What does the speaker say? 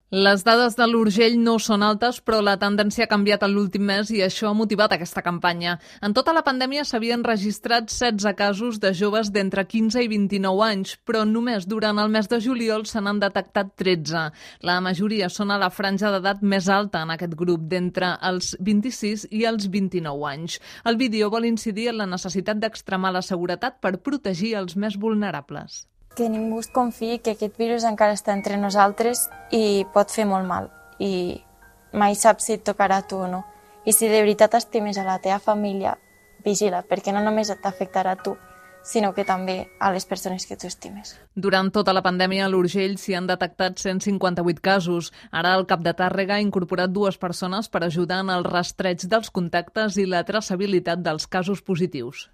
Les dades de l'Urgell no són altes, però la tendència ha canviat en l'últim mes i això ha motivat aquesta campanya. En tota la pandèmia s'havien registrat 16 casos de joves d'entre 15 i 29 anys, però només durant el mes de juliol se n'han detectat 13. La majoria són a la franja d'edat més alta en aquest grup, d'entre els 26 i els 29 anys. El vídeo vol incidir en la necessitat d'extremar la seguretat per protegir els més vulnerables. Que ningú es confiï que aquest virus encara està entre nosaltres i pot fer molt mal. I mai saps si et tocarà a tu o no. I si de veritat estimes a la teva família, vigila, perquè no només t'afectarà a tu, sinó que també a les persones que tu estimes. Durant tota la pandèmia a l'Urgell s'hi han detectat 158 casos. Ara el cap de Tàrrega ha incorporat 2 persones per ajudar en el rastreig dels contactes i la traçabilitat dels casos positius.